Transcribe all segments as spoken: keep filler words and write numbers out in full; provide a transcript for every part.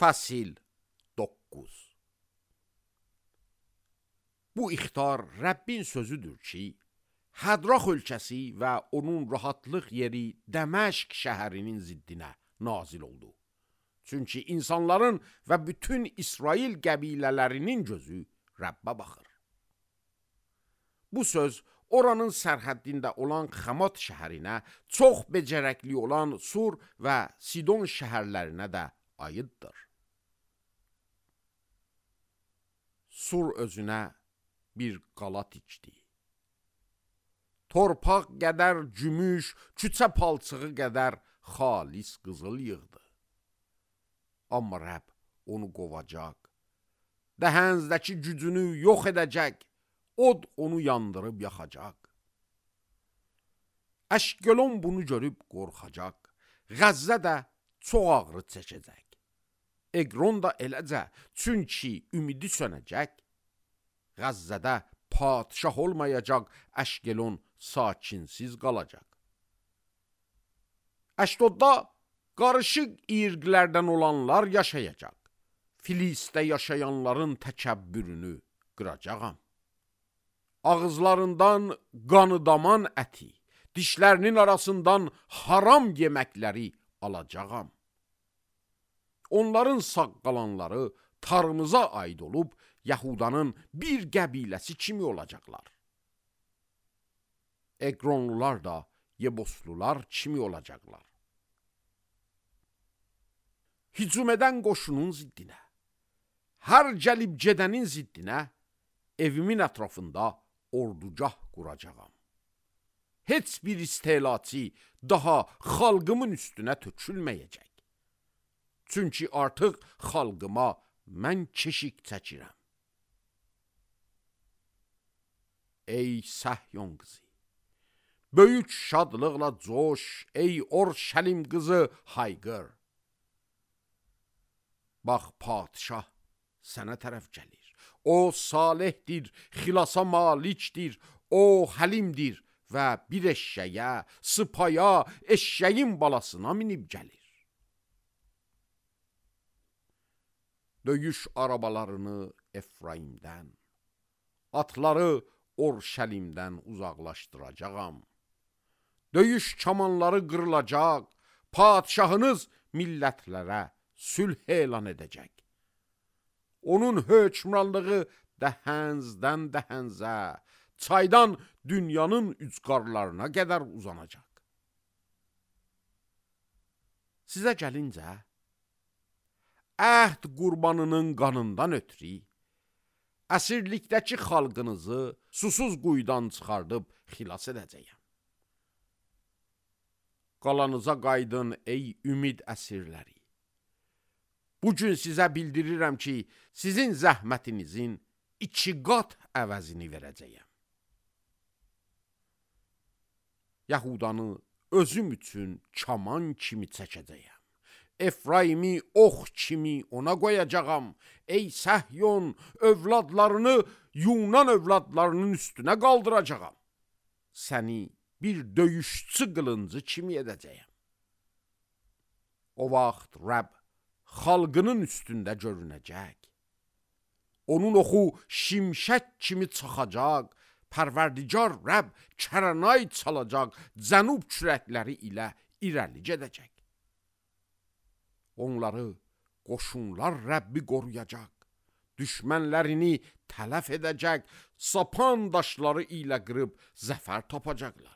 Fəsil doqquz. Bu ixtar Rəbbin sözüdür ki, Hədrax ölkəsi və onun rahatlıq yeri Dəməşq şəhərinin ziddinə nazil oldu. Çünki insanların və bütün İsrail qəbilələrinin gözü Rəbbə baxır. Bu söz oranın sərhəddində olan Xamat şəhərinə, çox becərəkli olan Sur və Sidon şəhərlərinə də aiddir. Sur özünə bir qala tikdi. Torpaq qədər gümüş, küçə palçığı qədər xalis qızıl yığdı. Amma Rəbb onu qovacaq, dəhəndəki gücünü yox edəcək, od onu yandırıb yaxacaq. Əşkelon bunu görüb qorxacaq, Qəzzə də çox ağrı çəkəcək. Eqron da eləcə, çünki ümidi sönəcək. Qəzzədə padişah olmayacaq, Əşkelon sakinsiz qalacaq. Əşdodda qarışıq irqlərdən olanlar yaşayacaq. Filistdə yaşayanların təkəbbürünü qıracağam. Ağızlarından qanıdaman əti, dişlərinin arasından haram yeməkləri alacağam. Onların sağ qalanları tarımıza aid olub, Yahudanın bir qəbiləsi kimi olacaqlar. Eqronlular da Yeboslular kimi olacaqlar. Hücum edən qoşunun ziddinə, hər gəlib gedənin ziddinə, evimin ətrafında ordugah quracağam. Heç bir istehlacı daha xalqımın üstünə tökülməyəcək. Çünki artıq xalqıma mən keşik çəkirəm. Ey Səhyon qızı, böyük şadlıqla coş, ey Orşəlim qızı hayqır. Bax, padişah sənə tərəf gəlir. O salihdir, xilasa malikdir, o həlimdir və bir eşşəyə, sıpaya, eşşəyin balasına minib gəlir. Döyüş arabalarını Efraimdən, atları Orşəlimdən uzaqlaşdıracağam. Döyüş kamanları qırılacaq, padişahınız millətlərə sülh elan edəcək. Onun hökmranlığı dəhənzdən dəhənzə, çaydan dünyanın ücqarlarına qədər uzanacaq. Sizə gəlincə, əhd qurbanının qanından ötürü, əsirlikdəki xalqınızı susuz quyudan çıxardıb xilas edəcəyəm. Qalanıza qaydın, ey ümid əsirləri. Bugün sizə bildirirəm ki, sizin zəhmətinizin iki qat əvəzini verəcəyəm. Yahudanı özüm üçün kaman kimi çəkəcəyəm. Efraimi ox kimi ona qoyacağam. Ey Səhyon, övladlarını Yunan övladlarının üstünə qaldıracağam. Səni bir döyüşçü qılıncı kimi edəcəyəm. O vaxt Rəbb xalqının üstündə görünəcək. Onun oxu şimşək kimi çaxacaq, Pərverdigar Rəbb kərənay çalacaq, cənub kürəkləri ilə irəli gedəcək. Onları qoşunlar Rəbbi qoruyacaq, düşmənlərini tələf edəcək, sapan daşları ilə qırıb zəfər tapacaqlar.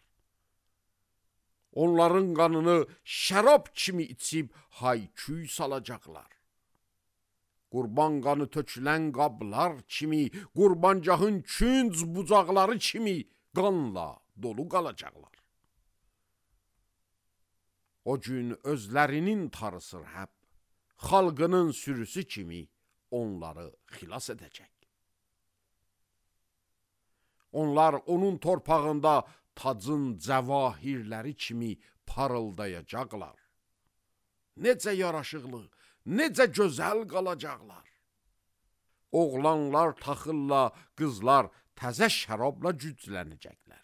Onların qanını şərab kimi içib hay-küy salacaqlar. Qurban qanı tökülən qablar kimi, qurbancahın künc bucaqları kimi qanla dolu qalacaqlar. O gün özlərinin tarısı Rəbb, xalqının sürüsü kimi onları xilas edəcək. Onlar onun torpağında tacın cəvahirləri kimi parıldayacaqlar. Necə yaraşıqlı, necə gözəl qalacaqlar. Oğlanlar taxılla, qızlar təzə şərabla güclənəcəklər.